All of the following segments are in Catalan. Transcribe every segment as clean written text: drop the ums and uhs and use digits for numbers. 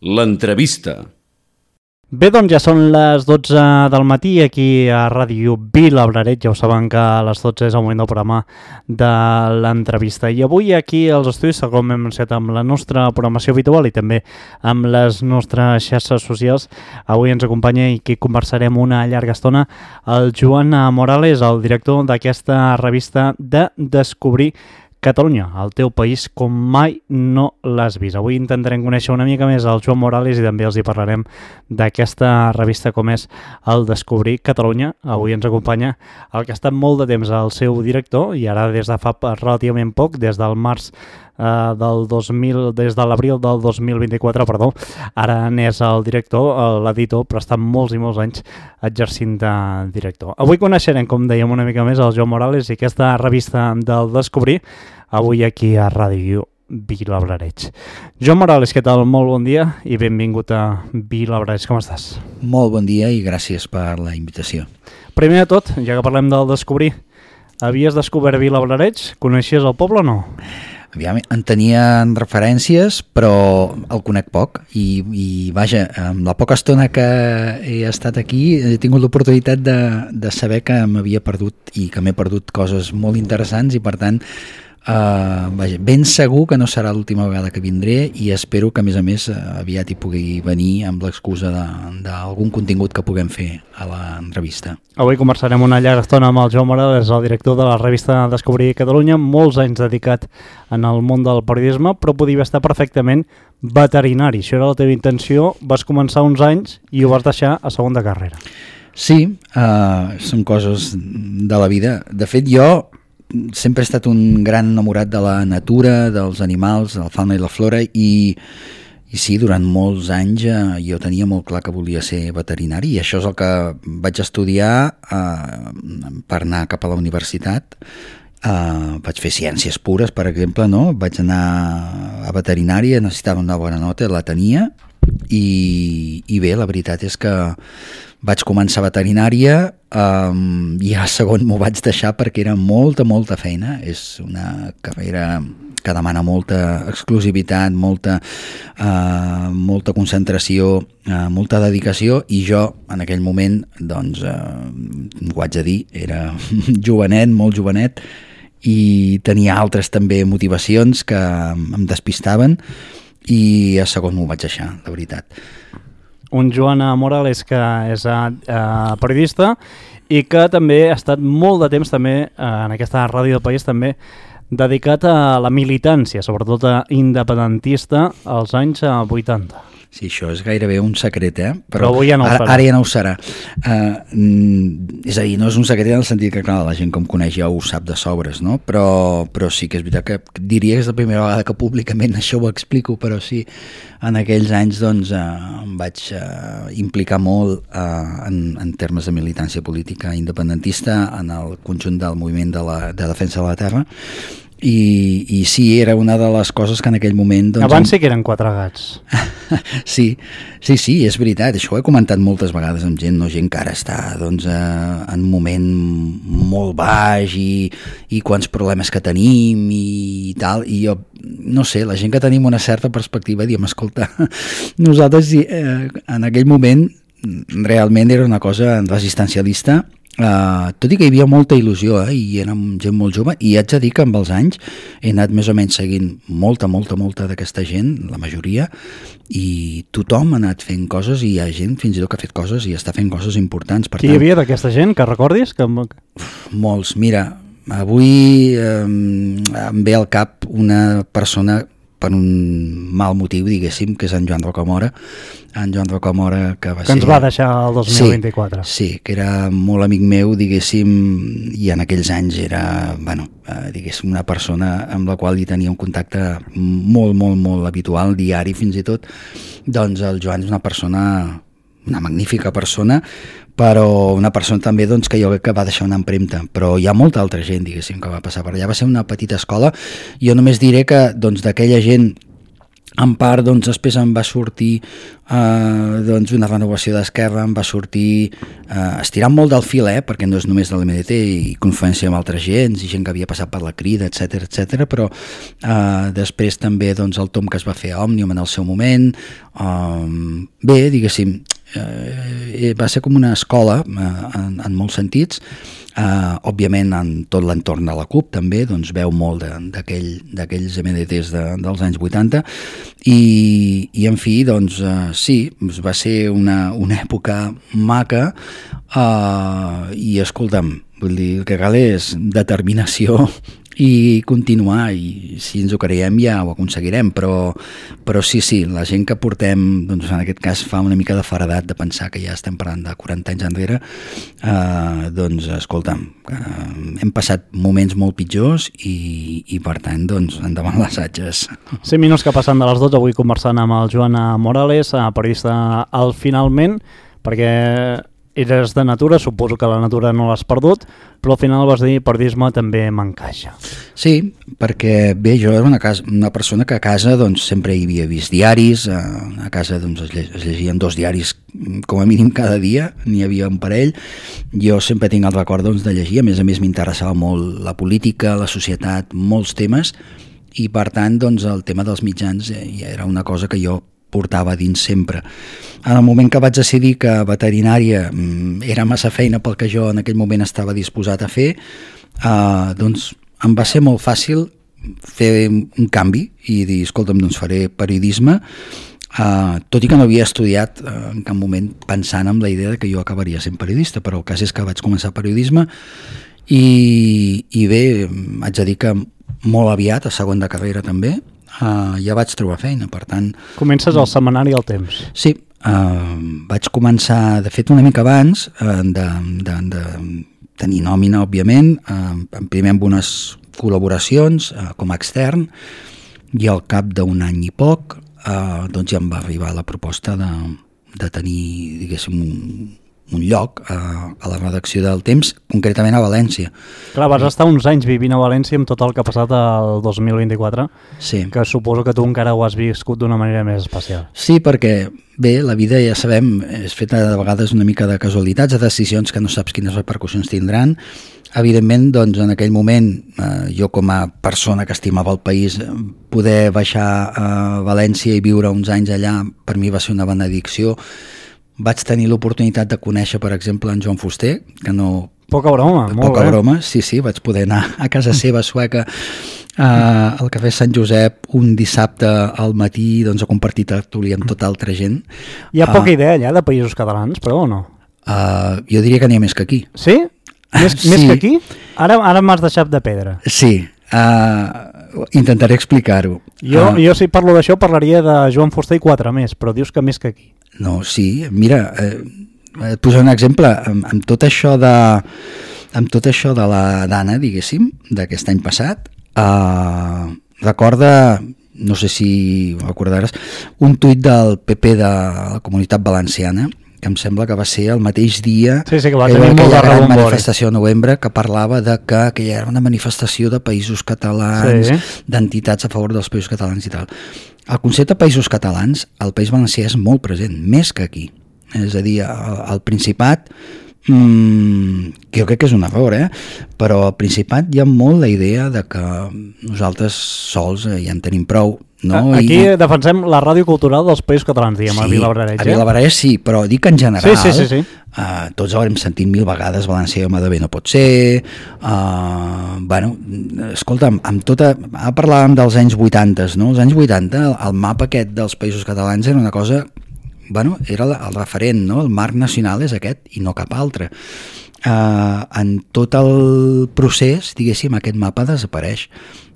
L'entrevista. Bé, doncs ja són les 12 del matí aquí a Ràdio Vilablareix. Ja ho saben que a les 12 és el moment del programa de l'entrevista. I avui aquí als estudis, com hem anunciat amb la nostra programació habitual i també amb les nostres xarxes socials, avui ens acompanya i aquí conversarem una llarga estona el Joan Morales, el director d'aquesta revista de Descobrir Catalunya, el teu país com mai no l'has vist. Avui intentarem conèixer una mica més el Joan Morales i també els hi parlarem d'aquesta revista com és el Descobrir Catalunya. Avui ens acompanya el que ha estat molt de temps el seu director i ara des de fa relativament poc, des del març des de l'abril del 2024, ara n'és el director, l'editor, però està molts i molts anys exercint de director. Avui coneixerem, com dèiem, una mica més el Joan Morales i aquesta revista del Descobrir, avui aquí a Ràdio Vilablareix. Joan Morales, què tal? Molt bon dia i benvingut a Vilablareix. Com estàs? Molt bon dia i gràcies per la invitació. Primer de tot, ja que parlem del Descobrir, havies descobert Vilablareix? Coneixies el poble o no? Aviam, en tenien referències, però el conec poc i vaja, amb la poca estona que he estat aquí he tingut l'oportunitat de saber que m'havia perdut i que m'he perdut coses molt interessants i per tant vaja, ben segur que no serà l'última vegada que vindré i espero que a més aviat hi pugui venir amb l'excusa d'algun contingut que puguem fer a la revista. Avui conversarem una llarga estona amb el Joan Morales, el director de la revista Descobrir Catalunya, molts anys dedicat en el món del periodisme, però podia estar perfectament veterinari. Això era la teva intenció, vas començar uns anys i ho vas deixar a segona carrera. Sí, són coses de la vida. De fet, jo sempre he estat un gran enamorat de la natura, dels animals, de la fauna i la flora i sí, durant molts anys jo tenia molt clar que volia ser veterinari i això és el que vaig estudiar per anar cap a la universitat. Vaig fer ciències pures, per exemple, no? Vaig anar a veterinària, necessitava una bona nota, la tenia i bé, la veritat és que vaig començar veterinària i a segon m'ho vaig deixar perquè era molta feina. És una carrera que demana molta exclusivitat, molta concentració, molta dedicació i jo en aquell moment, doncs, ho haig de dir, era jovenet, molt jovenet i tenia altres també motivacions que em despistaven i a segon m'ho vaig deixar, la veritat. Un Joan Morales que és periodista i que també ha estat molt de temps també en aquesta ràdio del país també dedicat a la militància, sobretot independentista als anys 80. Sí, això és gairebé un secret, però avui ja no ho serà. Ara ja no ho serà. És a dir, no és un secret en el sentit que, clar, la gent que em coneix ja ho sap de sobres, no? Però sí que és veritat que diria que és la primera vegada que públicament això ho explico, però sí, en aquells anys doncs, em vaig implicar molt en termes de militància política independentista en el conjunt del moviment de defensa de la terra. I sí, era una de les coses que en aquell moment... Doncs, abans sí que eren quatre gats. Sí, és veritat, això ho he comentat moltes vegades amb gent, gent que ara està doncs, en un moment molt baix i quants problemes que tenim i tal, i jo, no sé, la gent que tenim una certa perspectiva diem, escolta, nosaltres en aquell moment realment era una cosa resistencialista, tot i que hi havia molta il·lusió i érem gent molt jove i haig de dir que amb els anys he anat més o menys seguint molta d'aquesta gent, la majoria, i tothom ha anat fent coses i hi ha gent fins i tot que ha fet coses i està fent coses importants. Qui hi havia d'aquesta gent que recordis? Molts, mira, avui em ve al cap una persona per un mal motiu, diguéssim, que és en Joan Rocamora. En Joan Rocamora, que ens va deixar el 2024. Sí, que era molt amic meu, diguéssim, i en aquells anys era, diguéssim, una persona amb la qual hi tenia un contacte molt habitual, diari fins i tot. Doncs el Joan és una magnífica persona, però una persona també doncs, que jo crec que va deixar una empremta, però hi ha molta altra gent, diguéssim, que va passar per allà. Va ser una petita escola. Jo només diré que doncs, d'aquella gent En part, doncs, després em va sortir doncs, una renovació d'Esquerra, em va sortir estirant molt del fil, perquè no és només de l'MDT i confluència amb altres gens i gent que havia passat per la Crida, etc, però després també doncs, el tom que es va fer a Òmnium en el seu moment. Bé, diguéssim, va ser com una escola en molts sentits. Òbviament en tot l'entorn de la CUP també doncs veu molt d'aquells MDTs dels anys 80 i en fi doncs sí, va ser una època maca i escolta'm, vull dir, el que cal és determinació i continuar, i si ens ho creiem ja ho aconseguirem, però sí, la gent que portem, doncs en aquest cas fa una mica de faradat de pensar que ja estem parlant de 40 anys enrere, doncs escolta'm, hem passat moments molt pitjors i per tant, doncs endavant les atges. 5 minuts que passen de les 12, avui conversant amb el Joan Morales, periodista al Finalment, perquè eres de natura, suposo que la natura no l'has perdut, però al final vas dir periodisme també m'encaixa. Sí, perquè bé, jo era una persona que a casa doncs, sempre hi havia vist diaris, a casa doncs, es llegien 2 diaris com a mínim cada dia, n'hi havia un parell. Jo sempre tinc el record doncs, de llegir, a més m'interessava molt la política, la societat, molts temes, i per tant doncs, el tema dels mitjans ja era una cosa que jo portava dins sempre. En el moment que vaig decidir que veterinària era massa feina pel que jo en aquell moment estava disposat a fer, doncs em va ser molt fàcil fer un canvi i dir, escolta'm, doncs faré periodisme, tot i que no havia estudiat en cap moment pensant en la idea de que jo acabaria sent periodista, però el cas és que vaig començar periodisme i bé, haig de dir que molt aviat, a segon de carrera també, ja vaig trobar feina, per tant... Comences al setmanari El Temps. Sí, vaig començar, de fet una mica abans de tenir nòmina, òbviament, primer amb unes col·laboracions com a extern, i al cap d'un any i poc doncs ja em va arribar la proposta de tenir, diguéssim, un lloc a la redacció del Temps, concretament a València. Clar, vas estar uns anys vivint a València amb tot el que ha passat el 2024, sí. Que suposo que tu encara ho has viscut d'una manera més especial. Sí, perquè, bé, la vida ja sabem, és feta de vegades una mica de casualitats, de decisions que no saps quines repercussions tindran. Evidentment, doncs, en aquell moment, jo com a persona que estimava el país, poder baixar a València i viure uns anys allà, per mi va ser una benedicció. Vaig tenir l'oportunitat de conèixer, per exemple, en Joan Fuster, que no... Poca broma, molt Poca bé. broma, sí, vaig poder anar a casa seva sueca al Cafè Sant Josep un dissabte al matí, doncs, a compartir tertúlia amb tota altra gent. Hi ha poca idea allà de països catalans, però o no? Jo diria que n'hi ha més que aquí. Sí? Més que aquí? Ara m'has deixat de pedra. Sí, intentaré explicar-ho. Jo si parlo d'això parlaria de Joan Fuster i 4 més, però dius que més que aquí. No, sí, mira, et posaré un exemple, amb tot això de la Dana, diguéssim, d'aquest any passat, recorda, no sé si ho recordaràs, un tuit del PP de la Comunitat Valenciana, que em sembla que va ser el mateix dia que va tenir aquella gran manifestació de novembre, que parlava de que aquella era una manifestació de països catalans, d'entitats a favor dels països catalans i tal. El concepte de països catalans al País Valencià és molt present, més que aquí. És a dir, al Principat, que jo crec que és un error, però al Principat hi ha molt la idea de que nosaltres sols ja en tenim prou. No? Aquí defensem la ràdio cultural dels països catalans, diguem, a Vilabrareig. A Vilabrareig sí, però dic en general, sí. Tots haurem sentit 1000 vegades València home de bé no pot ser, escolta'm, ara parlàvem dels anys 80, no? Els anys 80, el mapa aquest dels països catalans era una cosa, era el referent, no? El marc nacional és aquest i no cap altre. En tot el procés, diguéssim, aquest mapa desapareix.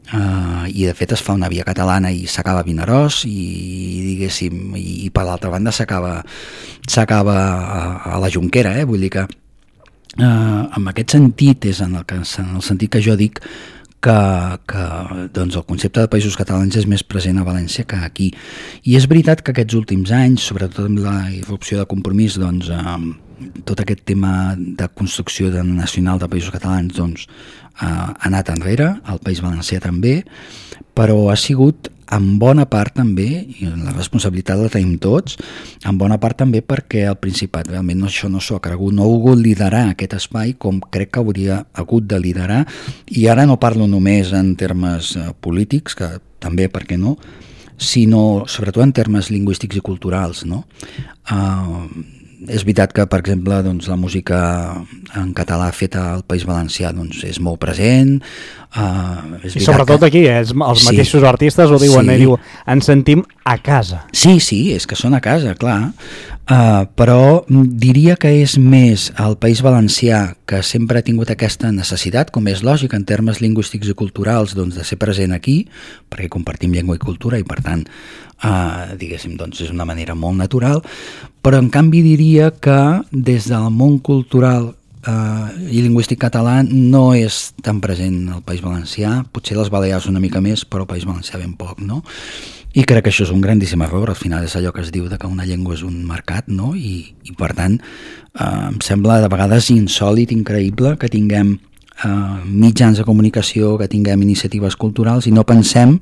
I de fet es fa una via catalana i s'acaba a Vinaròs i diguéssim, i per l'altra banda s'acaba a la Jonquera, vull dir que en aquest sentit és en el sentit que jo dic que doncs, el concepte de països catalans és més present a València que aquí, i és veritat que aquests últims anys, sobretot amb la irrupció de Compromís, doncs tot aquest tema de construcció nacional de països catalans doncs, ha anat enrere, el País Valencià també, però ha sigut en bona part també, i la responsabilitat la tenim tots, en bona part també perquè el Principat realment això no s'ho ha cregut, no ha volgut liderar aquest espai com crec que hauria hagut de liderar, i ara no parlo només en termes polítics, que també, per què no, sinó sobretot en termes lingüístics i culturals, no? És veritat que, per exemple, doncs, la música en català feta al País Valencià doncs, és molt present. I sobretot aquí, els mateixos artistes ho diuen, diu, ens sentim a casa. Sí, és que són a casa, clar. Però diria que és més el País Valencià que sempre ha tingut aquesta necessitat, com és lògic en termes lingüístics i culturals, doncs, de ser present aquí, perquè compartim llengua i cultura i per tant diguéssim, doncs és una manera molt natural, però en canvi diria que des del món cultural i lingüístic català no és tan present el País Valencià, potser les Balears una mica més, però el País Valencià ben poc, no? I crec que això és un grandíssim error, al final és allò que es diu de que una llengua és un mercat, no? I per tant em sembla de vegades insòlit, increïble que tinguem mitjans de comunicació, que tinguem iniciatives culturals i no pensem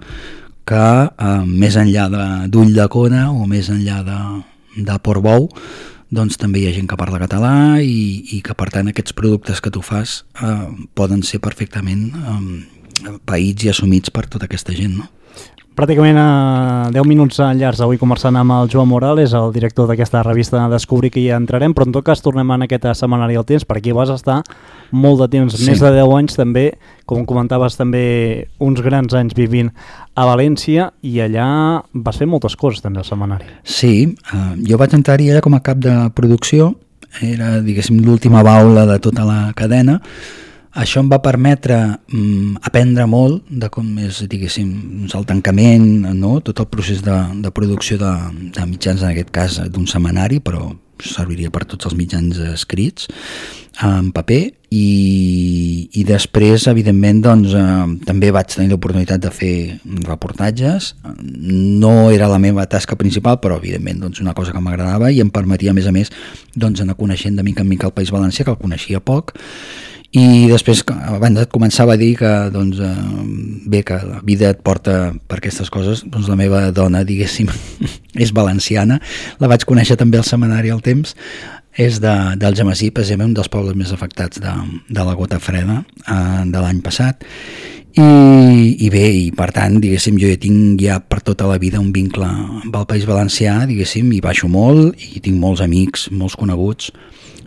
que més enllà d'Ull de Cona o més enllà de Portbou doncs també hi ha gent que parla català i que per tant aquests productes que tu fas poden ser perfectament païts i assumits per tota aquesta gent, no? Pràcticament 10 minuts enllaç avui conversant amb el Joan Morales, el director d'aquesta revista Descobrir, que ja entrarem, però en tot cas tornem en aquest setmanari al temps, perquè vas estar molt de temps, més de 10 anys també, com comentaves també uns grans anys vivint a València, i allà vas fer moltes coses també al setmanari. Sí, jo vaig entrar-hi allà com a cap de producció, era diguéssim l'última baula de tota la cadena. Això em va permetre aprendre molt de com és, diguéssim, el tancament, no? Tot el procés de producció de mitjans, en aquest cas d'un setmanari, però serviria per tots els mitjans escrits en paper, i després, evidentment, doncs, també vaig tenir l'oportunitat de fer reportatges. No era la meva tasca principal, però evidentment doncs, una cosa que m'agradava i em permetia, a més, doncs, anar coneixent de mica en mica el País Valencià, que el coneixia poc. I després, abans et començava a dir que, doncs, bé, que la vida et porta per aquestes coses, doncs la meva dona, diguéssim, és valenciana, la vaig conèixer també al setmanari El Temps, és d'Algemesí, precisament un dels pobles més afectats de la gota freda de l'any passat, i bé, i per tant, diguéssim, jo tinc ja per tota la vida un vincle amb el País Valencià, diguéssim, i baixo molt, i tinc molts amics, molts coneguts,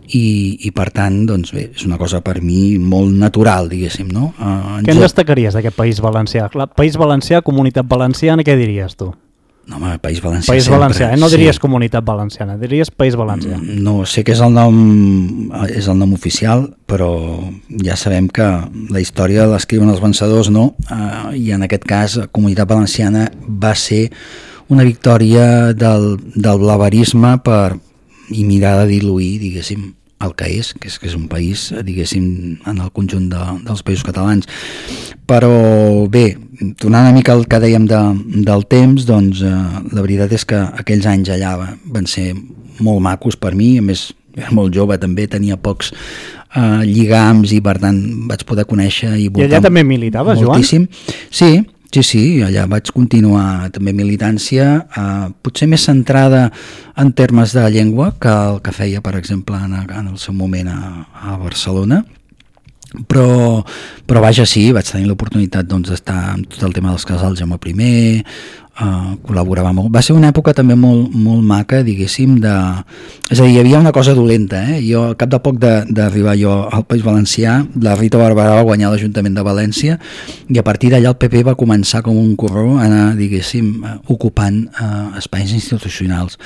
i per tant, doncs bé, és una cosa per mi molt natural, diguéssim, no? Què en destacaries d'aquest País Valencià? País Valencià, Comunitat Valenciana, què diries tu? No, home, País Valencià País sempre. Valencià, no diries Comunitat Valenciana, diries País Valencià. No, sé que és el nom oficial, però ja sabem que la història l'escriuen els vencedors, no? I en aquest cas, Comunitat Valenciana va ser una victòria del blaverisme i mirar de diluir, diguéssim, el que és un país, diguéssim, en el conjunt dels països catalans. Però bé, tornant una mica al que dèiem del temps, doncs la veritat és que aquells anys allà van ser molt macos per mi, a més era molt jove també, tenia pocs lligams i per tant vaig poder conèixer i allà també militaves, moltíssim. Joan? Sí, allà vaig continuar també militància, potser més centrada en termes de llengua que el que feia, per exemple, en el seu moment a Barcelona, però vaja, sí, vaig tenir l'oportunitat doncs, d'estar en tot el tema dels casals Jaume I, col·laborava molt. Va ser una època també molt maca, diguéssim, és a dir, hi havia una cosa dolenta, jo al cap de poc d'arribar jo al País Valencià, la Rita Barberà va guanyar l'Ajuntament de València i a partir d'allà el PP va començar com un corró a anar, diguéssim, ocupant espais institucionals.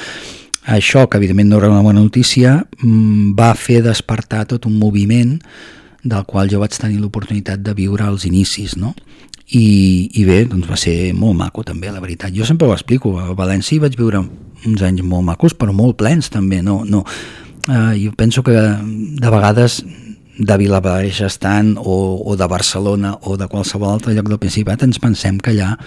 Això, que evidentment no era una bona notícia, va fer despertar tot un moviment del qual jo vaig tenir l'oportunitat de viure als inicis, no? I bé, doncs va ser molt maco també, la veritat. Jo sempre ho explico, a València vaig viure uns anys molt macos, però molt plens també, jo penso que de vegades de Vilablareix estant o de Barcelona o de qualsevol altre lloc del Principat ens pensem que allà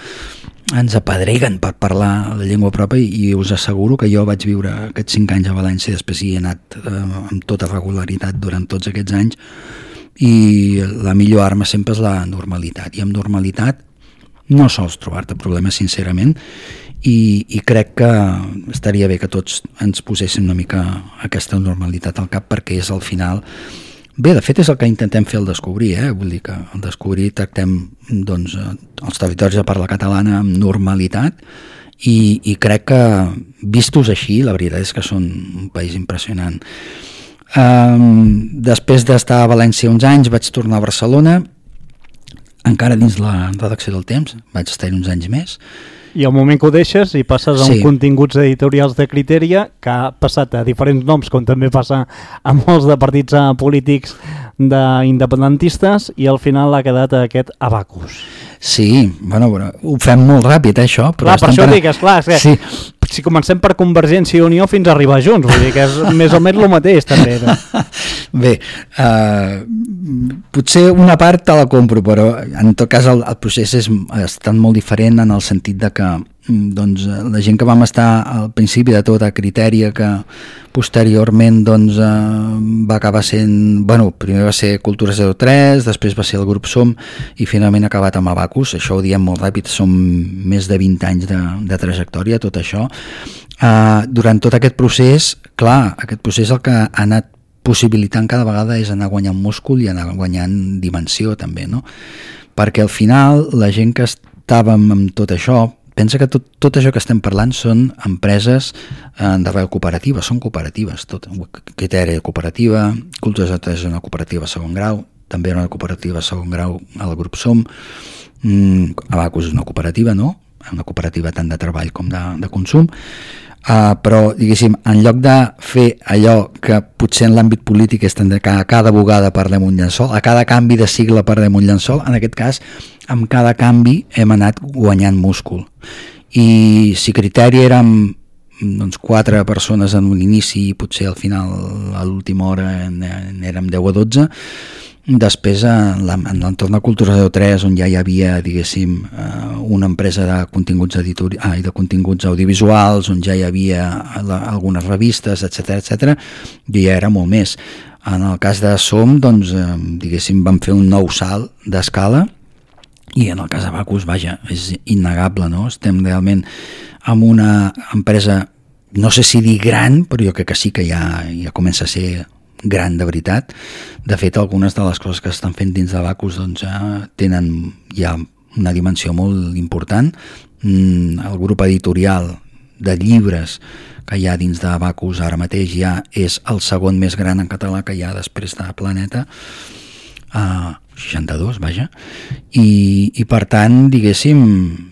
ens apedreguen per parlar la llengua pròpia, i us asseguro que jo vaig viure aquests 5 anys a València, després hi he anat amb tota regularitat durant tots aquests anys, i la millor arma sempre és la normalitat, i amb normalitat no sols trobar-te problemes, sincerament, i crec que estaria bé que tots ens poséssim una mica aquesta normalitat al cap, perquè és al final... Bé, de fet és el que intentem fer al Descobrir, vull dir que al Descobrir tractem doncs, els territoris de parla catalana amb normalitat, i crec que vistos així la veritat és que són un país impressionant. Després d'estar a València uns anys vaig tornar a Barcelona, encara dins la redacció del Temps, vaig estar-hi uns anys més. I al moment que ho deixes i passes a uns continguts editorials de Criteria, que ha passat a diferents noms, com també passa a molts de partits polítics independentistes, i al final ha quedat aquest Abacus. Sí, bueno, ho fem molt ràpid, això. Però clar, per això dic, esclar, és que sí. Si comencem per Convergència i Unió fins a arribar junts, vull dir que és més o menys el mateix, també. Bé, potser una part te la compro, però en tot cas el procés ha estat molt diferent, en el sentit de que doncs, la gent que vam estar al principi de tot a Criteria, que posteriorment doncs, va acabar sent, bueno, primer va ser Cultura 03, després va ser el grup Som, i finalment ha acabat amb Abacus. Això ho diem molt ràpid, som més de 20 anys de trajectòria, tot això. Durant tot aquest procés, clar, aquest procés el que ha anat possibilitant cada vegada és anar guanyant múscul i anar guanyant dimensió també, no? Perquè al final la gent que estàvem amb tot això, pensa que tot això que estem parlant són empreses d'arrel cooperativa, són cooperatives, tot. Criteria cooperativa, Cultura és una cooperativa segon grau, també era una cooperativa segon grau al grup Som, Abacus és una cooperativa, no? Una cooperativa tant de treball com de consum, però diguéssim, en lloc de fer allò que potser en l'àmbit polític és que a cada bugada parlem un llençol, a cada canvi de sigle parlem un llençol, en aquest cas amb cada canvi hem anat guanyant múscul, i si Criteri érem doncs, 4 persones en un inici, i potser al final a l'última hora érem 10 o 12, després en l'entorn de Cultura 03, on ja hi havia, diguéssim, una empresa de continguts de continguts audiovisuals, on ja hi havia algunes revistes, etc, jo ja era molt més. En el cas de Som, doncs, diguéssim, vam fer un nou salt d'escala, i en el cas de Abacus, vaja, és innegable, no? Estem realment amb una empresa, no sé si dir gran, però jo crec que sí que ja comença a ser gran de veritat. De fet, algunes de les coses que estan fent dins d'Abacus doncs, tenen ja una dimensió molt important. El grup editorial de llibres que hi ha dins d'Abacus ara mateix ja és el segon més gran en català que hi ha després de Planeta, 62, vaja, i per tant, diguéssim,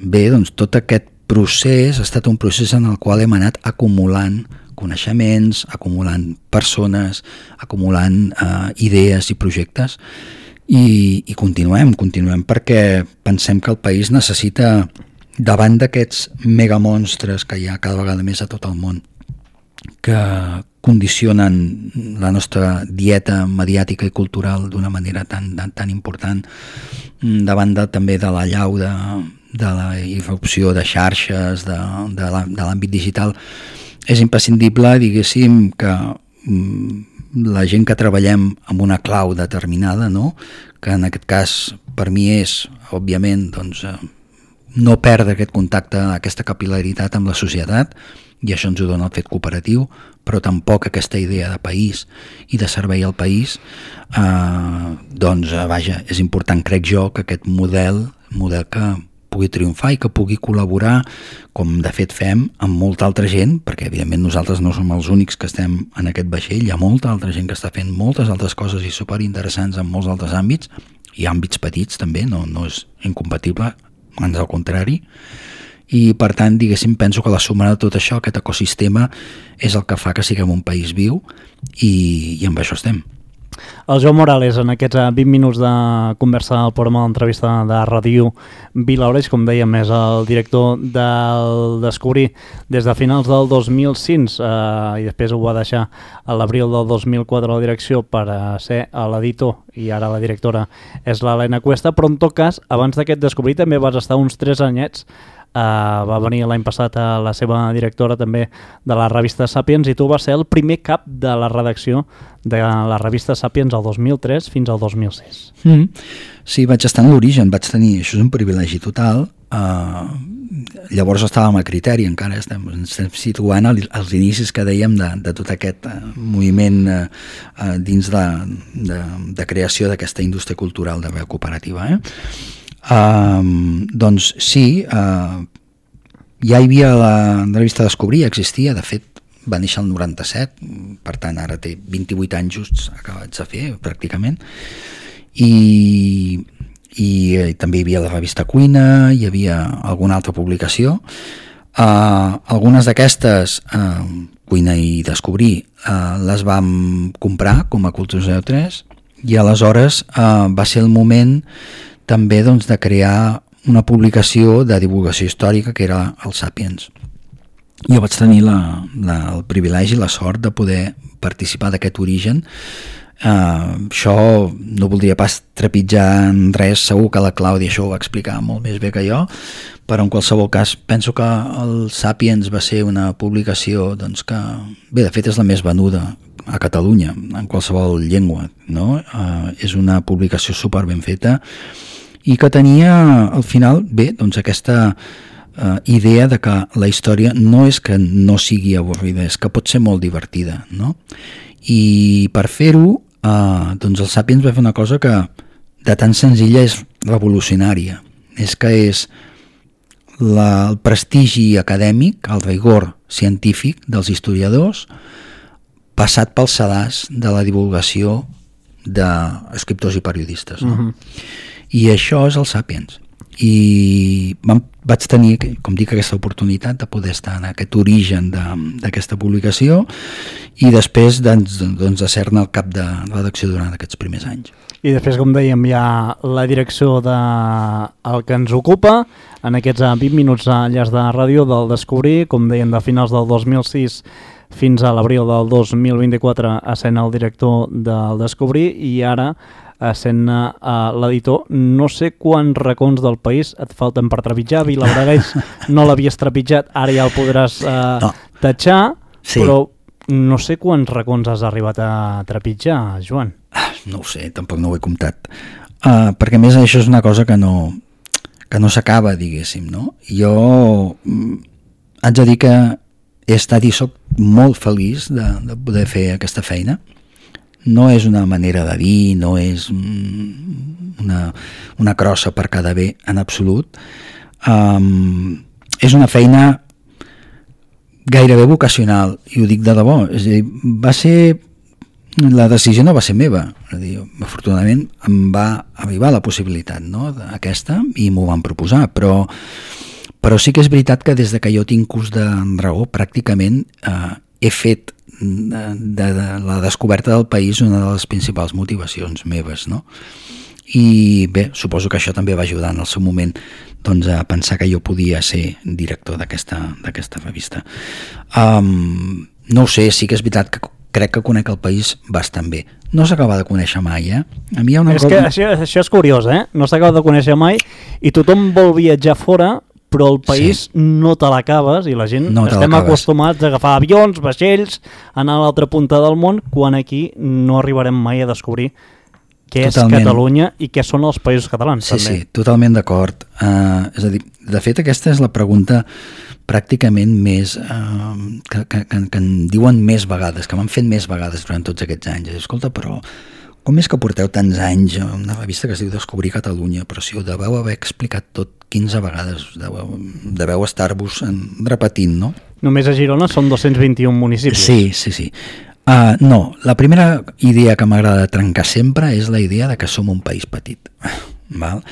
bé, doncs tot aquest procés ha estat un procés en el qual hem anat acumulant coneixements, acumulant persones, acumulant idees i projectes, i continuem perquè pensem que el país necessita, davant d'aquests megamonstres que hi ha cada vegada més a tot el món, que condicionen la nostra dieta mediàtica i cultural d'una manera tan important, davant també de l'allau de la irrupció de xarxes, de l'àmbit digital, és imprescindible, diguéssim, que la gent que treballem amb una clau determinada, no? Que en aquest cas per mi és, òbviament, doncs, no perdre aquest contacte, aquesta capil·laritat amb la societat, i això ens ho dona el fet cooperatiu, però tampoc aquesta idea de país i de servei al país, doncs, vaja, és important, crec jo, que aquest model que pugui triomfar i que pugui col·laborar, com de fet fem, amb molta altra gent, perquè evidentment nosaltres no som els únics que estem en aquest vaixell, hi ha molta altra gent que està fent moltes altres coses i superinteressants en molts altres àmbits, i àmbits petits també, no és incompatible, ans al contrari, i per tant, diguéssim, penso que la suma de tot això, aquest ecosistema, és el que fa que siguem un país viu, i amb això estem. El Joan Morales, en aquests 20 minuts de conversa al programa d'entrevista de Ràdio Vilaoreig, com dèiem, és el director del Descobrir des de finals del 2005 i després ho va deixar a l'abril del 2004 a la direcció per ser l'editor, i ara la directora és l'Helena Cuesta, però en tot cas, abans d'aquest Descobrir també vas estar uns 3 anyets va venir l'any passat a la seva directora també de la revista Sapiens, i tu vas ser el primer cap de la redacció de la revista Sapiens el 2003 fins al 2006. Sí, vaig estar en l'origen, vaig tenir, això és un privilegi total. Llavors estàvem a Criteri, encara ens estem situant als inicis que dèiem de tot aquest moviment dins de creació d'aquesta indústria cultural de veu cooperativa. Doncs sí, ja hi havia la revista Descobrir, existia, de fet va néixer el 97, per tant ara té 28 anys justs acabats de fer pràcticament, i també hi havia la revista Cuina, hi havia alguna altra publicació. Algunes d'aquestes, Cuina i Descobrir, les vam comprar com a Cultura 03, i aleshores va ser el moment també doncs, de crear una publicació de divulgació històrica que era el Sapiens. Jo vaig tenir el privilegi i la sort de poder participar d'aquest origen. Això no voldria pas trepitjar en res, segur que la Clàudia això ho va explicar molt més bé que jo, però en qualsevol cas penso que el Sapiens va ser una publicació doncs, que, bé, de fet és la més venuda a Catalunya en qualsevol llengua, no? És una publicació super ben feta i que tenia al final, bé, doncs aquesta idea de que la història no és que no sigui avorrida, és que pot ser molt divertida, no? I per fer-ho doncs el Sapiens va fer una cosa que de tan senzilla és revolucionària, és que és el prestigi acadèmic, el rigor científic dels historiadors passat pel sedàs de la divulgació d'escriptors i periodistes, no? I això és el Sapiens, i vaig tenir, com dic, aquesta oportunitat de poder estar en aquest origen d'aquesta publicació i després doncs, de ser-ne el cap de redacció durant aquests primers anys. I després, com dèiem, hi ha la direcció del que ens ocupa en aquests 20 minuts a Llars de Ràdio del Descobrir, com dèiem, de finals del 2006 fins a l'abril del 2024 essent el director del Descobrir, i ara essent l'editor. No sé quants racons del país et falten per trepitjar. Vilablareix no l'havies trepitjat, ara ja el podràs tatxar, sí. Però no sé quants racons has arribat a trepitjar, Joan. No ho sé, tampoc no ho he comptat. Perquè a més això és una cosa que no s'acaba, diguéssim, no? Jo haig de dir que he estat i soc molt feliç de poder fer aquesta feina. No és una manera de dir, no és una crossa per quedar bé en absolut. És una feina gairebé vocacional, i ho dic de debò. És a dir, la decisió no va ser meva. És a dir, afortunadament em va arribar la possibilitat, no, aquesta, i m'ho van proposar, però sí que és veritat que des de que jo tinc ús de raó pràcticament he fet de la descoberta del país una de les principals motivacions meves, no? I bé, suposo que això també va ajudar en el seu moment doncs, a pensar que jo podia ser director d'aquesta revista. No ho sé, sí que és veritat que crec que conec el país bastant bé. No s'acaba de conèixer mai, A mi hi ha una cosa... que això és curiós, No s'acaba de conèixer mai i tothom vol viatjar fora, però el país no te l'acabes, i la gent estem acostumats a agafar avions, vaixells, anar a l'altra punta del món, quan aquí no arribarem mai a descobrir què és Catalunya i què són els països catalans. Sí, també. Sí, totalment d'acord. És a dir, de fet, aquesta és la pregunta pràcticament més que en diuen més vegades, que m'han fet més vegades durant tots aquests anys. Escolta, però com és que porteu tants anys a una revista que es diu Descobrir Catalunya, però si ho deveu haver explicat tot 15 vegades, deveu estar-vos repetint, no? Només a Girona són 221 municipis. Sí. No, la primera idea que m'agrada trencar sempre és la idea de que som un país petit. Val?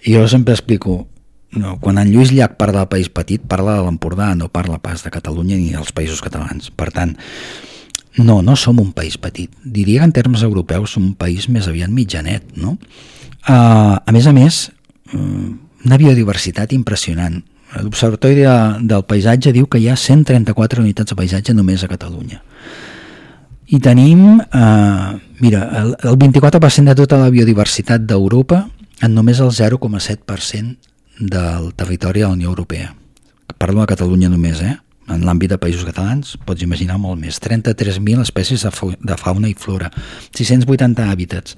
I jo sempre explico, no, quan en Lluís Llach parla del país petit, parla de l'Empordà, no parla pas de Catalunya ni dels països catalans. Per tant, no som un país petit. Diria que en termes europeus som un país més aviat mitjanet, no? A més, una biodiversitat impressionant. L'Observatori del Paisatge diu que hi ha 134 unitats de paisatge només a Catalunya. I tenim, el 24% de tota la biodiversitat d'Europa en només el 0,7% del territori de la Unió Europea. parlo de Catalunya només, en l'àmbit de països catalans, pots imaginar molt més. 33.000 espècies de fauna i flora, 680 hàbitats,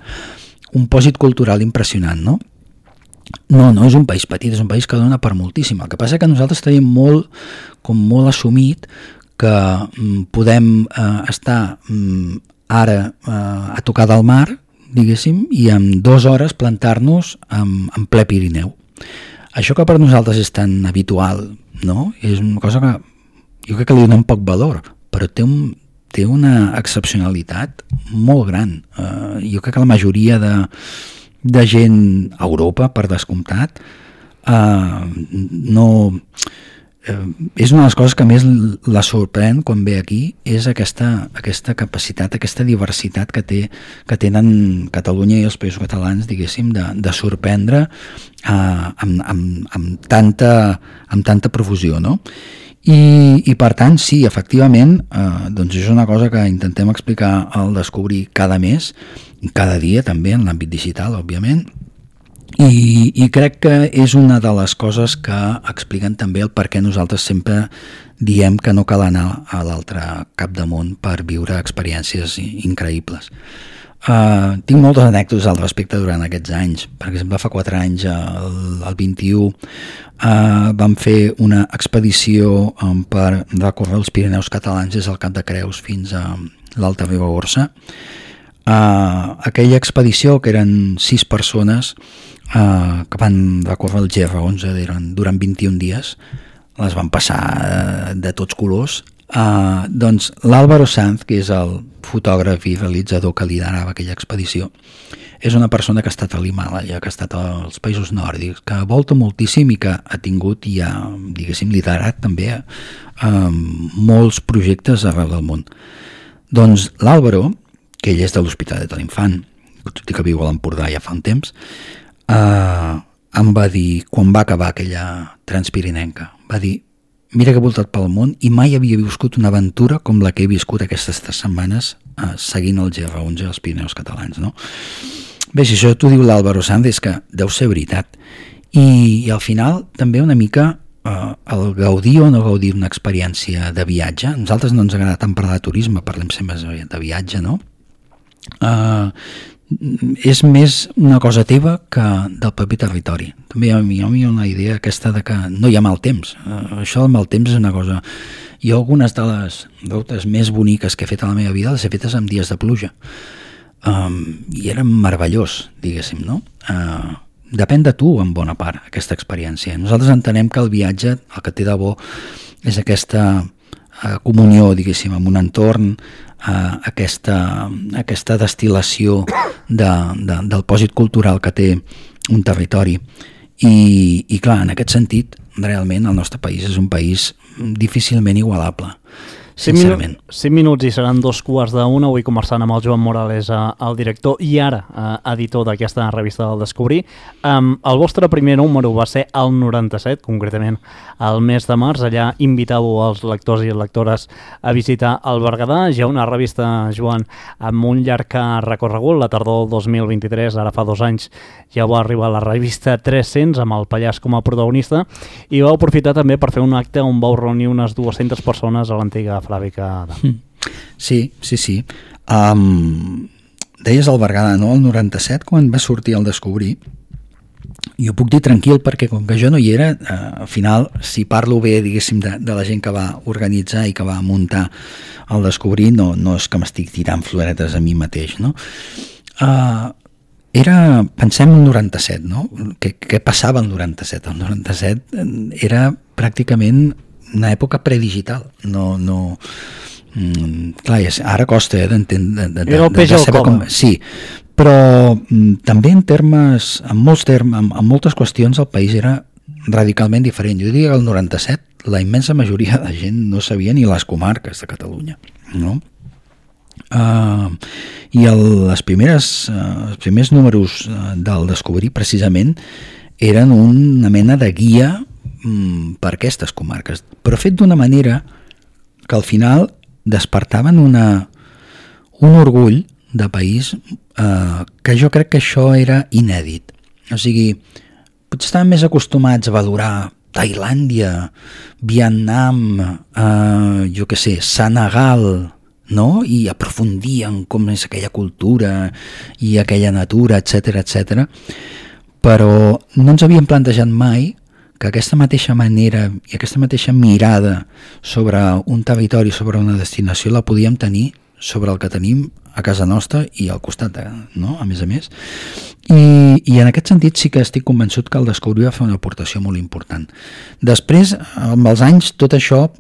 un pòsit cultural impressionant, no? No és un país petit, és un país que dona per moltíssim. El que passa que nosaltres tenim molt assumit que podem estar ara a tocar del mar, diguéssim, i en 2 hores plantar-nos en ple Pirineu. Això que per nosaltres és tan habitual, no? És una cosa que jo crec que li donem poc valor, però té una excepcionalitat molt gran. Jo crec que la majoria de gent a Europa, per descomptat, és una de les coses que més la sorprèn quan ve aquí, és aquesta capacitat, aquesta diversitat que tenen Catalunya i els països catalans, diguéssim, de sorprendre amb tanta profusió, no? I per tant, sí, efectivament, doncs és una cosa que intentem explicar al Descobrir cada mes, cada dia també, en l'àmbit digital, òbviament, i crec que és una de les coses que expliquen també el per què nosaltres sempre diem que no cal anar a l'altre cap de món per viure experiències increïbles. Tinc moltes anècdotes al respecte durant aquests anys. Per exemple, fa 4 anys, el 21, vam fer una expedició per recórrer els Pirineus catalans des del Cap de Creus fins a l'Alta Ribagorça. Aquella expedició, que eren 6 persones que van recórrer el GR11 durant 21 dies, les van passar de tots colors. Doncs l'Álvaro Sanz, que és el fotògraf i realitzador que liderava aquella expedició, és una persona que ha estat a l'Himàlaia, que ha estat als països nòrdics, que volta moltíssim i que ha tingut i ha, diguéssim, liderat també molts projectes arreu del món. Doncs l'Álvaro, que ell és de l'Hospitalet de l'Infant, tot i que viu a l'Empordà ja fa un temps, em va dir, quan va acabar aquella transpirinenca, va dir: mira que he voltat pel món i mai havia viscut una aventura com la que he viscut aquestes 3 setmanes seguint el GR11 als Pirineus catalans, no? Bé, si això t'ho diu l'Álvaro Sanz, és que deu ser veritat. I al final també una mica el gaudir o no gaudir d'una experiència de viatge. A nosaltres no ens agrada tant parlar de turisme, parlem sempre de viatge, no? És més una cosa teva que del propi territori. També hi ha una idea aquesta de que no hi ha mal temps. Això del mal temps és una cosa... Jo algunes de les rutes més boniques que he fet a la meva vida les he fetes en dies de pluja. I era meravellós, diguéssim, no? Depèn de tu, en bona part, aquesta experiència. Nosaltres entenem que el viatge, el que té de bo, és aquesta comunió, diguéssim, amb un entorn, aquesta destil·lació del pòsit cultural que té un territori. I clar, en aquest sentit, realment el nostre país és un país difícilment igualable, sincerament. 5 minuts i seran 2:15. Avui conversant amb el Joan Morales, el director i ara editor d'aquesta revista del Descobrir. El vostre primer número va ser el 97, concretament el mes de març. Allà invitàveu els lectors i lectores a visitar el Berguedà. Ja una revista, Joan, amb un llarg recorregut. La tardor del 2023, ara fa 2 anys, ja va arribar la revista 300 amb el Pallars com a protagonista, i vau aprofitar també per fer un acte on vau reunir unes 200 persones a l'antiga fàbrica. Sí. Deies el Berguedà, no? El 97, quan va sortir el Descobrir, jo puc dir tranquil, perquè com que jo no hi era, al final, si parlo bé, diguéssim, de la gent que va organitzar i que va muntar el Descobrir, no és que m'estic tirant floretes a mi mateix, no? Pensem en el 97, no? Què passava el 97? El 97 era pràcticament una època predigital. Clar, ara costa d'entendre. Era el peix al cove. Sí, però també en moltes qüestions el país era radicalment diferent. Jo diria que el 97 la immensa majoria de gent no sabia ni les comarques de Catalunya, no? I els primers números del Descobrir precisament eren una mena de guia per aquestes comarques, però fet d'una manera que al final despertaven un orgull de país que jo crec que això era inèdit. O sigui, potser estaven més acostumats a valorar Tailàndia, Vietnam, jo què sé, Senegal, no? I aprofundir en com és aquella cultura i aquella natura, etc. Però no ens havíem plantejat mai que aquesta mateixa manera i aquesta mateixa mirada sobre un territori, sobre una destinació, la podíem tenir sobre el que tenim a casa nostra i al costat, no? A més. I en aquest sentit sí que estic convençut que el Descobrir va fer una aportació molt important. Després, amb els anys, tot això,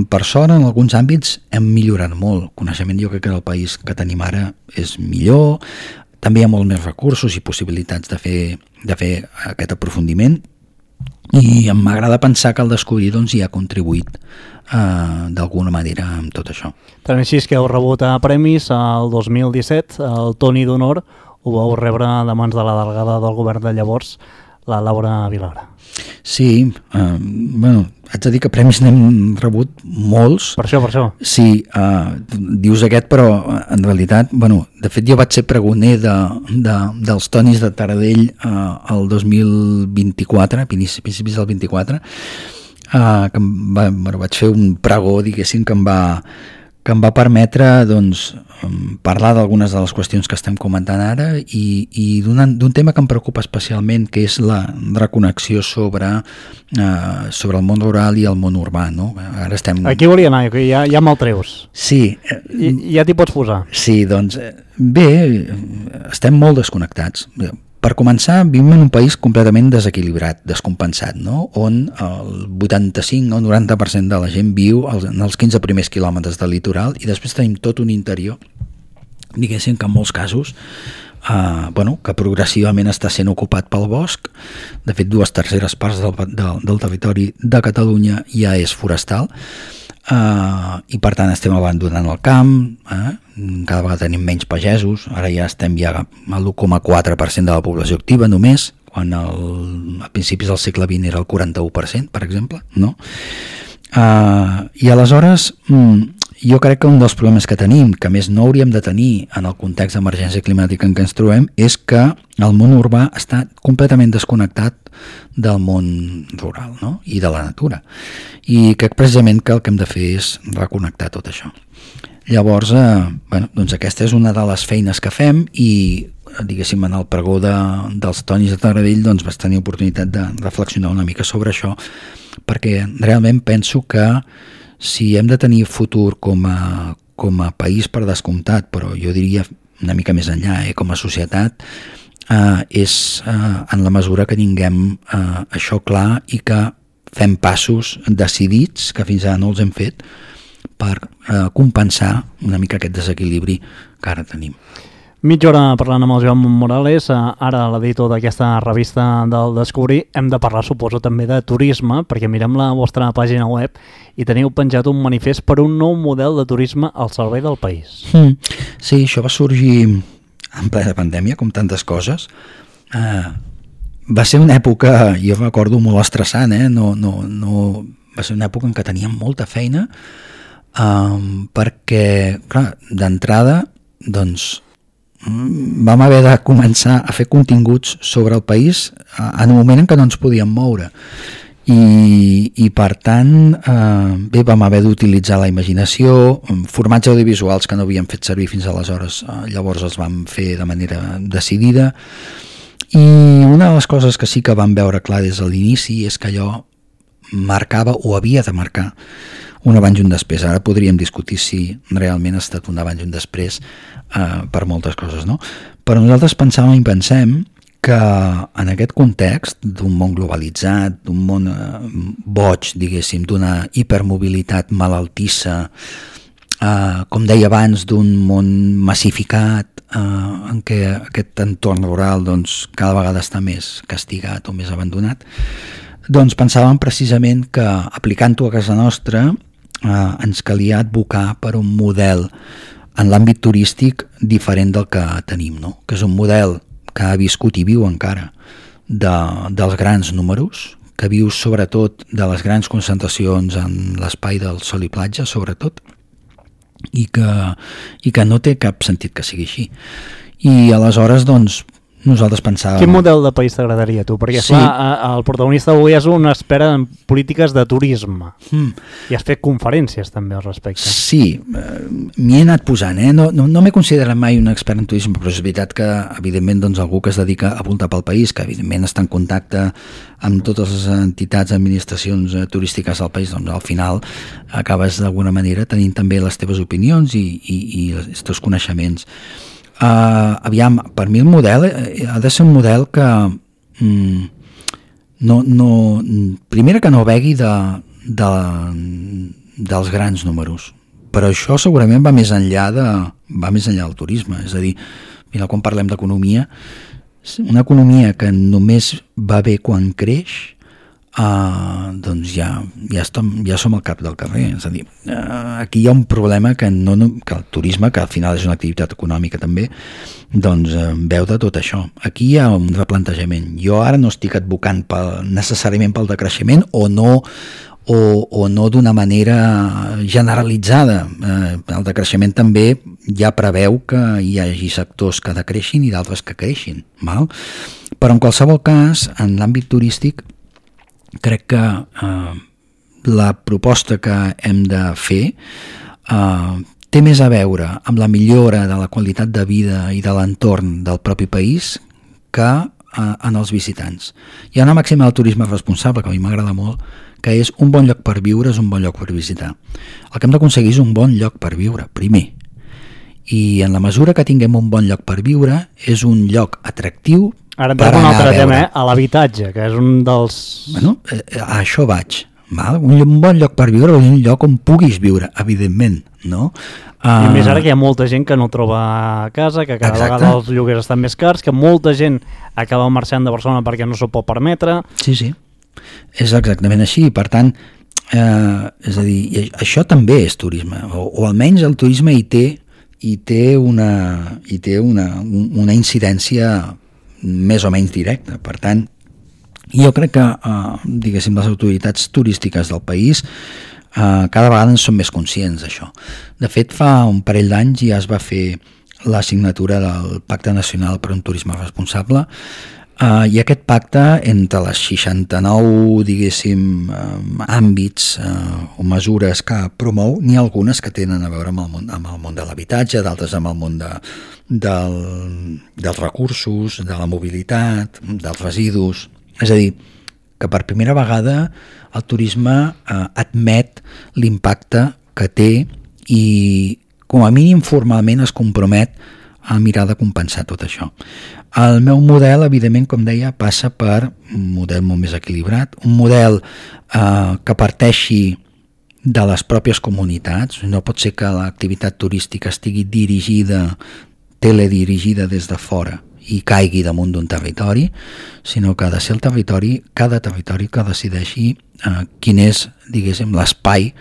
per sort, en alguns àmbits hem millorat molt. Coneixement, jo crec que el país que tenim ara és millor, també hi ha molts més recursos i possibilitats de fer aquest aprofundiment, i m'agrada pensar que el Descobrir doncs, hi ha contribuït d'alguna manera amb tot això. Tant així és que heu rebut premis el 2017, el Toni d'Honor ho vau rebre de mans de la delegada del govern de llavors, la Laura Vilagra. Sí, haig de dir que premis n'hem rebut molts. Per això. Sí, dius aquest, però en realitat, de fet jo vaig ser pregoner dels Tonis de Taradell el 2024, a principis del 24, que vaig fer un pregó, diguéssim, que em va permetre doncs, parlar d'algunes de les qüestions que estem comentant ara i d'un tema que em preocupa especialment, que és la reconnexió sobre el món rural i el món urbà. No? Ara estem... Aquí volia anar, que ja me'l treus. Sí. Ja t'hi pots posar. Sí, doncs bé, estem molt desconnectats. Per començar, vivim en un país completament desequilibrat, descompensat, no? On el 85 o 90% de la gent viu en els 15 primers quilòmetres del litoral i després tenim tot un interior, diguéssim que en molts casos, que progressivament està sent ocupat pel bosc. De fet, 2/3 parts del territori de Catalunya ja és forestal, i per tant estem abandonant el camp, cada vegada tenim menys pagesos, ara ja estem a l'1,4% de la població activa només, quan a principis del segle XX era el 41%, per exemple, no? I aleshores jo crec que un dels problemes que tenim, que més no hauríem de tenir en el context d'emergència climàtica en què ens trobem, és que el món urbà està completament desconnectat del món rural, no? I de la natura. I crec precisament que el que hem de fer és reconnectar tot això. Llavors, doncs aquesta és una de les feines que fem i, diguéssim, en el pregó dels Tonis de Taradell doncs vaig tenir oportunitat de reflexionar una mica sobre això, perquè realment penso que si hem de tenir futur com a país per descomptat, però jo diria una mica més enllà, com a societat, és en la mesura que tinguem això clar i que fem passos decidits, que fins ara no els hem fet, per compensar una mica aquest desequilibri que ara tenim. Mitja hora parlant amb el Joan Morales, ara l'editor d'aquesta revista del Descobrir. Hem de parlar, suposo, també de turisme, perquè mirem la vostra pàgina web i teniu penjat un manifest per un nou model de turisme al servei del país. Sí, això va sorgir en plena pandèmia, com tantes coses. Va ser una època, jo recordo, molt estressant, va ser una època en què teníem molta feina, perquè, clar, d'entrada, doncs, vam haver de començar a fer continguts sobre el país en un moment en què no ens podíem moure i per tant vam haver d'utilitzar la imaginació, formats audiovisuals que no havíem fet servir fins aleshores, llavors els vam fer de manera decidida, i una de les coses que sí que vam veure clar des de l'inici és que allò marcava o havia de marcar un abans i un després. Ara podríem discutir si realment ha estat un abans i un després per moltes coses, no? Però nosaltres pensàvem i pensem que en aquest context d'un món globalitzat, d'un món boig, diguéssim, d'una hipermobilitat malaltissa, com deia abans, d'un món massificat, en què aquest entorn rural doncs, cada vegada està més castigat o més abandonat, doncs pensàvem precisament que aplicant-ho a casa nostra ens calia advocar per un model en l'àmbit turístic diferent del que tenim, no? Que és un model que ha viscut i viu encara dels grans números, que viu sobretot de les grans concentracions en l'espai del sol i platja, sobretot, i que no té cap sentit que sigui així. I aleshores, doncs, nosaltres pensàvem... Quin model de país t'agradaria, tu? Perquè, Sí. el protagonista avui és un expert en polítiques de turisme. I has fet conferències també al respecte. Sí, m'hi he anat posant, no m'he considerat mai un expert en turisme, però és veritat que, evidentment, doncs, algú que es dedica a voltar pel país, que evidentment està en contacte amb totes les entitats, administracions turístiques del país, doncs al final acabes d'alguna manera tenint també les teves opinions i els teus coneixements. Aviam, per mi el model ha de ser un model que primera que no begui dels grans números, però això segurament va més enllà del turisme. És a dir, quan parlem d'economia, una economia que només va bé quan creix, doncs ja som al cap del carrer. És a dir, aquí hi ha un problema que el turisme, que al final és una activitat econòmica també, doncs veu de tot això. Aquí hi ha un replantejament. Jo ara no estic advocant necessàriament pel decreixement o no d'una manera generalitzada. El decreixement també ja preveu que hi hagi sectors que decreixin i d'altres que creixin, val? Però en qualsevol cas, en l'àmbit turístic, crec que la proposta que hem de fer té més a veure amb la millora de la qualitat de vida i de l'entorn del propi país que en els visitants. Hi ha una màxima del turisme responsable que a mi m'agrada molt, que és un bon lloc per viure és un bon lloc per visitar. El que hem d'aconseguir és un bon lloc per viure, primer. I en la mesura que tinguem un bon lloc per viure, és un lloc atractiu. Ara entrem un altre tema, a l'habitatge, que és un dels... Bueno, a això vaig. Val? Un bon lloc per viure és un lloc on puguis viure, evidentment, no? I més ara que hi ha molta gent que no troba casa, que cada vegada els lloguers estan més cars, que molta gent acaba marxant de Barcelona perquè no s'ho pot permetre. Sí, és exactament així. Per tant, és a dir, això també és turisme, o almenys el turisme hi té una incidència més o menys directa. Per tant, jo crec que diguéssim, les autoritats turístiques del país cada vegada en són més conscients d'això. De fet, fa un parell d'anys ja es va fer la signatura del Pacte Nacional per un Turisme Responsable, i aquest pacte, entre les 69 diguéssim àmbits o mesures que promou, n'hi ha algunes que tenen a veure amb el món de l'habitatge, d'altres amb el món dels recursos, de la mobilitat, dels residus. És a dir, que per primera vegada el turisme admet l'impacte que té i com a mínim formalment es compromet a mirar de compensar tot això. El meu model, evidentment, com deia, passa per un model molt més equilibrat, un model que parteixi de les pròpies comunitats. No pot ser que l'activitat turística estigui teledirigida des de fora i caigui damunt d'un territori, sinó que ha de ser el territori, cada territori que decideixi quin és, diguéssim, l'espai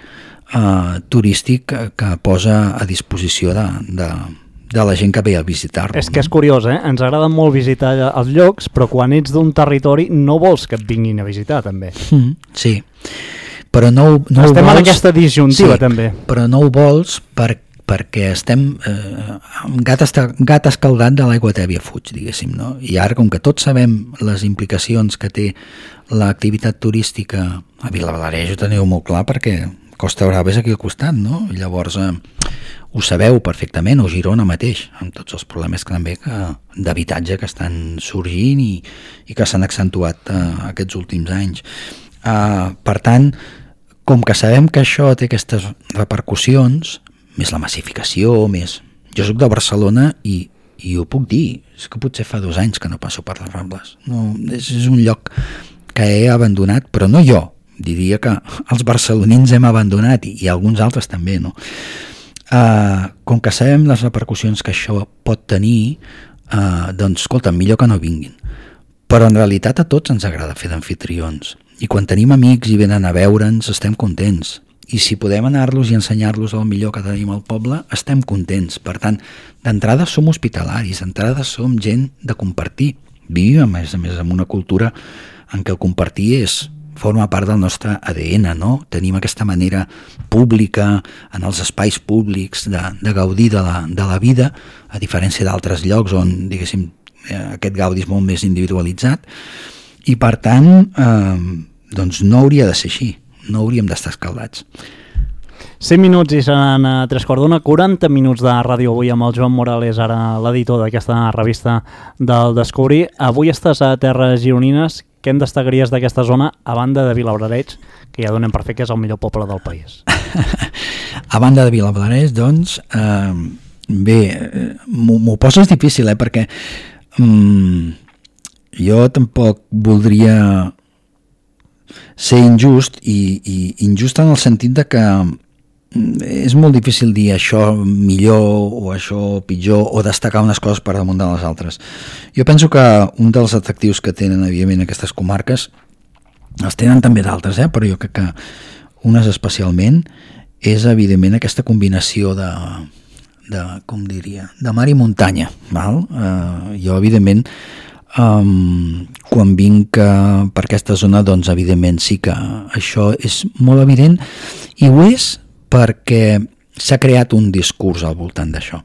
turístic que posa a disposició de la gent que ve a visitar-lo. És que és curiós, ens agrada molt visitar els llocs, però quan ets d'un territori no vols que et vinguin a visitar, també. Sí, però no ho vols... Estem en aquesta disjuntiva, també. Però no ho vols perquè estem... gat escaldat de l'aigua tèbia fuig, diguéssim, no? I ara, com que tots sabem les implicacions que té l'activitat turística a Vilablareix, ho teniu molt clar, perquè Costa Brava és aquí al costat, no? I llavors ho sabeu perfectament, o Girona mateix, amb tots els problemes també d'habitatge que estan sorgint i que s'han accentuat aquests últims anys. Per tant, com que sabem que això té aquestes repercussions, més la massificació, més... Jo soc de Barcelona i ho puc dir, és que potser fa 2 anys que no passo per les Rambles. No, és un lloc que he abandonat, però no jo, diria que els barcelonins hem abandonat i alguns altres també, no? Com que sabem les repercussions que això pot tenir, doncs, escolta, millor que no vinguin. Però en realitat a tots ens agrada fer d'amfitrions. I quan tenim amics i venen a veure'ns, estem contents. I si podem anar-los i ensenyar-los el millor que tenim al poble, estem contents. Per tant, d'entrada som hospitalaris, d'entrada som gent de compartir. Vivim, a més, en una cultura en què el compartir forma part del nostre ADN, no? Tenim aquesta manera pública, en els espais públics, de gaudir de la vida, a diferència d'altres llocs on, diguéssim, aquest gaudi és molt més individualitzat i per tant doncs no hauria de ser així, no hauríem d'estar escaldats. 100 minuts i seran 3:15, 40 minuts de ràdio avui amb el Joan Morales, ara l'editor d'aquesta revista del Descobrir. Avui estàs a Terres Gironines. Què en destacaries d'aquesta zona, a banda de Vilablareix, que ja donem per fer que és el millor poble del país? A banda de Vilablareix, doncs, bé, m'ho poses difícil, perquè jo tampoc voldria ser injust, i injust en el sentit de que és molt difícil dir això millor o això pitjor o destacar unes coses per damunt de les altres. Jo penso que un dels atractius que tenen evidentment aquestes comarques, els tenen també d'altres, però jo crec que unes especialment és evidentment aquesta combinació de com diria, de mar i muntanya, val? Jo evidentment quan vinc per aquesta zona, doncs evidentment sí que això és molt evident, i ho és perquè s'ha creat un discurs al voltant d'això.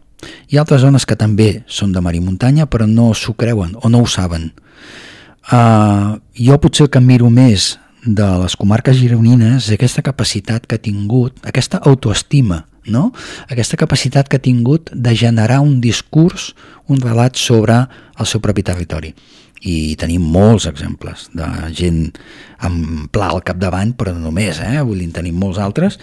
Hi ha altres zones que també són de mar i muntanya, però no s'ho creuen o no ho saben. Jo potser el que miro més de les comarques gironines és aquesta capacitat que ha tingut, aquesta autoestima, no? Aquesta capacitat que ha tingut de generar un discurs, un relat sobre el seu propi territori. I tenim molts exemples de gent amb Pla al capdavant, però no només, vull dir, tenim molts altres,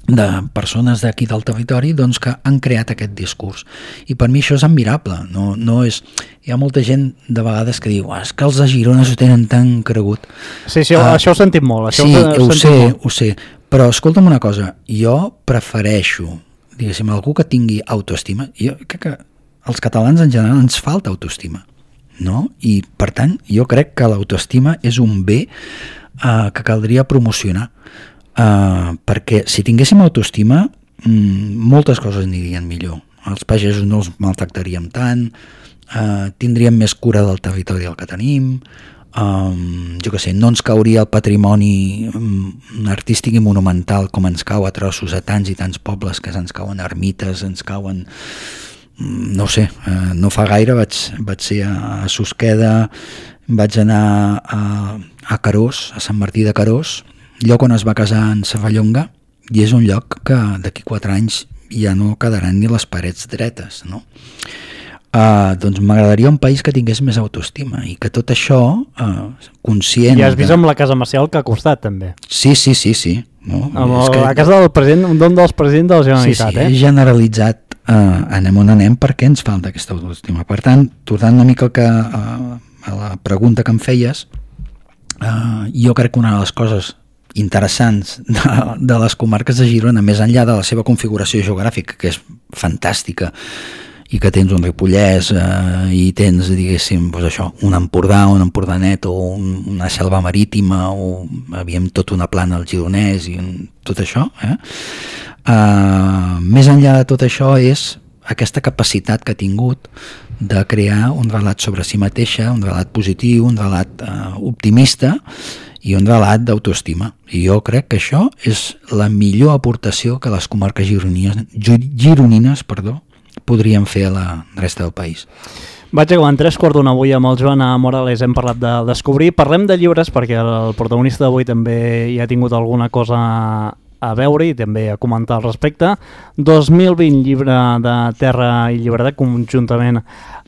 de persones d'aquí del territori, doncs, que han creat aquest discurs, i per mi això és admirable. No és... Hi ha molta gent de vegades que diu és que els de Girona s'ho tenen tan cregut. Sí, això ho sentim molt. Sí, ho sé, però escolta'm una cosa, jo prefereixo, diguéssim, algú que tingui autoestima. Jo crec que als catalans en general ens falta autoestima, no? I per tant jo crec que l'autoestima és un bé que caldria promocionar, perquè si tinguéssim autoestima moltes coses anirien millor. Els pagesos no els maltractaríem tant, tindríem més cura del territori del que tenim, jo què sé, no ens cauria el patrimoni artístic i monumental com ens cau a trossos a tants i tants pobles, que ens cauen ermites, ens cauen... No sé, no fa gaire vaig ser a Susqueda, vaig anar a Carós, a Sant Martí de Carós, lloc on es va casar en Serrallonga, i és un lloc que d'aquí 4 anys ja no quedaran ni les parets dretes, no? Doncs m'agradaria un país que tingués més autoestima i que tot això conscient... I has vist amb la Casa Macià que ha costat també. Sí. No? La casa del president, d'un dels presidents de la Generalitat. Sí, és generalitzat, anem on anem perquè ens falta aquesta autoestima. Per tant, tornant una mica a la pregunta que em feies, jo crec que una de les coses interessants de les comarques de Girona, més enllà de la seva configuració geogràfica, que és fantàstica, i que tens un Ripollès i tens, diguéssim, doncs això, un Empordà, un Empordanet o una selva marítima, o havíem tot una plana al Gironès i tot això, més enllà de tot això és aquesta capacitat que ha tingut de crear un relat sobre si mateixa, un relat positiu, un relat optimista i un relat d'autoestima. I jo crec que això és la millor aportació que les comarques gironines podríem fer a la resta del país. Vaig acabant 3:15 avui amb el Joan Morales, hem parlat de Descobrir. Parlem de llibres perquè el protagonista d'avui també hi ha tingut alguna cosa a veure i també a comentar al respecte. 2020, llibre de Terra i Llibertat, conjuntament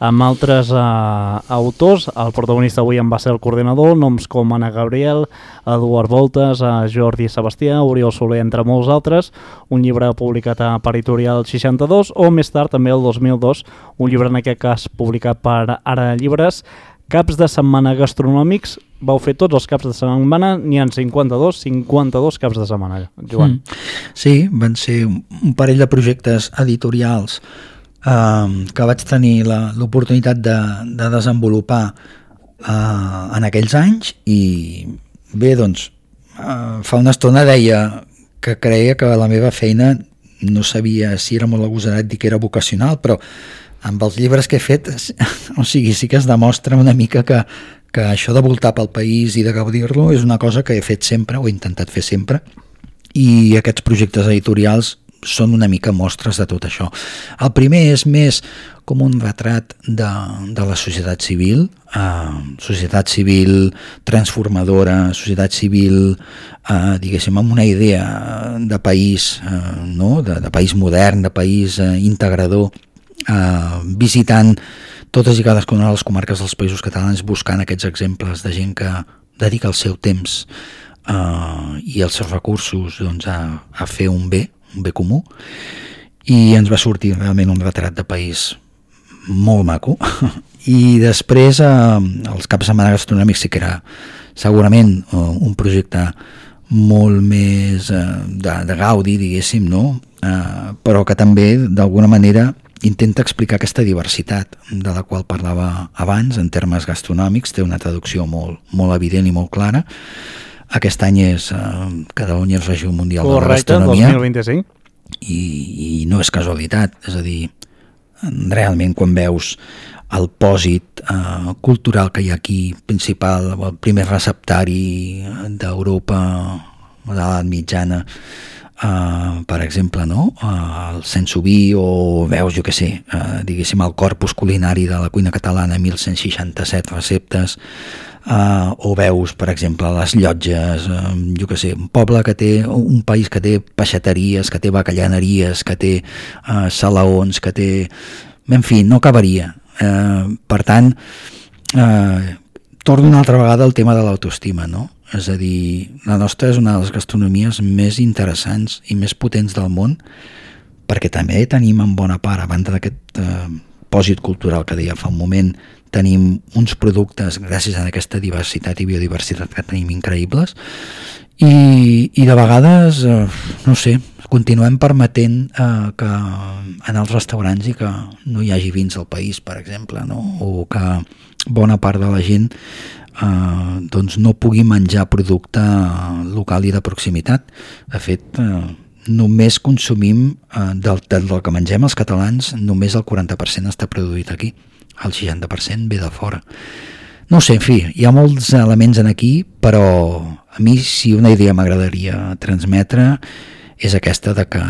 amb altres autors. El protagonista avui en va ser el coordinador, noms com Anna Gabriel, Eduard Voltes, Jordi Sebastià, Oriol Soler, entre molts altres. Un llibre publicat a Editorial 62, o més tard, també el 2002, un llibre en aquest cas publicat per Ara Llibres, Caps de setmana gastronòmics. Vau fer tots els caps de setmana, n'hi ha 52 caps de setmana, Joan. Sí, van ser un parell de projectes editorials que vaig tenir l'oportunitat de desenvolupar en aquells anys, i bé, doncs, fa una estona deia que creia que la meva feina, no sabia si era molt agosarat dir que era vocacional, però amb els llibres que he fet, o sigui, sí que es demostra una mica que això de voltar pel país i de gaudir-lo és una cosa que he fet sempre, o he intentat fer sempre, i aquests projectes editorials són una mica mostres de tot això. El primer és més com un retrat de la societat civil transformadora, societat civil, diguéssim, amb una idea de país, no? de país modern, de país integrador, visitant totes i cadascuna de les comarques dels Països Catalans, buscant aquests exemples de gent que dedica el seu temps i els seus recursos doncs, a fer un bé comú, i ens va sortir realment un retrat de país molt maco. I després els caps de setmana gastronòmics sí que era segurament un projecte molt més de gaudi, diguéssim, no? Però que també d'alguna manera intenta explicar aquesta diversitat de la qual parlava abans en termes gastronòmics. Té una traducció molt evident i molt clara. Aquest any és Catalunya és regió mundial de la gastronomia. Correcte, 2025. I no és casualitat, és a dir, realment quan veus el pòsit cultural que hi ha aquí, principal, el primer receptari d'Europa de l'edat mitjana, per exemple, no? El Sensoví, o veus, jo què sé, diguéssim, el corpus culinari de la cuina catalana, 1167 receptes, o veus, per exemple, les Llotges, jo què sé, un país que té peixateries, que té bacallaneries, que té salaons, que té... En fi, no acabaria. Per tant, torno una altra vegada al tema de l'autoestima, no? És a dir, la nostra és una de les gastronomies més interessants i més potents del món, perquè també tenim en bona part, a banda d'aquest pòsit cultural que deia fa un moment, tenim uns productes, gràcies a aquesta diversitat i biodiversitat que tenim, increïbles, i de vegades, no sé, continuem permetent que en els restaurants i que no hi hagi vins al país, per exemple, no? O que bona part de la gent doncs no pugui menjar producte local i de proximitat. De fet, només consumim del que mengem els catalans, només el 40% està produït aquí, el 60% ve de fora. No sé, en fi, hi ha molts elements en aquí, però a mi si una idea m'agradaria transmetre és aquesta de que,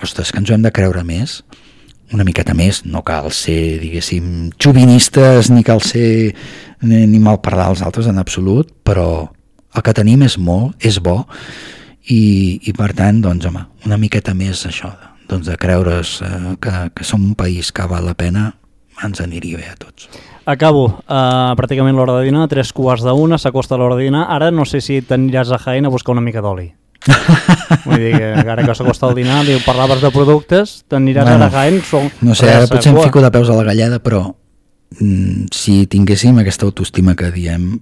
ostres, que ens ho hem de creure més, una miqueta més, no cal ser, diguéssim, xovinistes, ni cal ser ni mal parlar als altres en absolut, però el que tenim és molt, és bo, i per tant, doncs, home, una miqueta més això, doncs de creure's que som un país que val la pena, ens aniria bé a tots. Acabo, pràcticament l'hora de dinar, 3:15, s'acosta l'hora de dinar, ara no sé si t'aniràs a Jaén a buscar una mica d'oli. Vull dir que ara que s'acosta el dinar, parlaves de productes, t'aniràs a Jaén... No sé, ara potser em fico de peus a la galleda, però si tinguéssim aquesta autoestima que diem,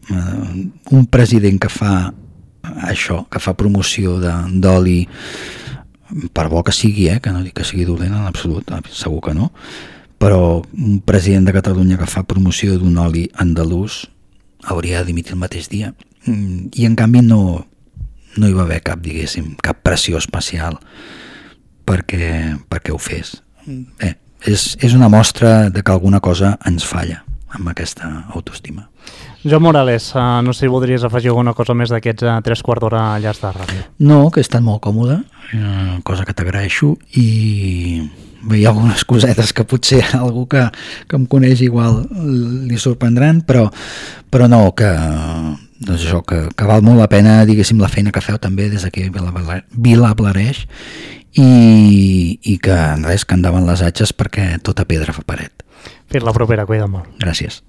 un president que fa això, que fa promoció d'oli, per bo que sigui, que no dic que sigui dolent en absolut, segur que no, però un president de Catalunya que fa promoció d'un oli andalús hauria de dimitir el mateix dia, i en canvi no hi va haver cap, diguéssim, cap pressió especial perquè ho fes. Bé, és una mostra de que alguna cosa ens falla amb aquesta autoestima. Joan Morales, no sé si voldries afegir alguna cosa més d'aquests 3/4 d'hora allà de ràdio. No, que he estat molt còmode, cosa que t'agraeixo, i hi ha algunes cosetes que potser algú que em coneix igual li sorprendran, però no, que doncs això, que val molt la pena, diguéssim, la feina que feu també des d'aquí a Vilablareix, i que res, que endavant les atxes, perquè tota pedra fa paret. Fins la propera, cuida't molt. Gràcies.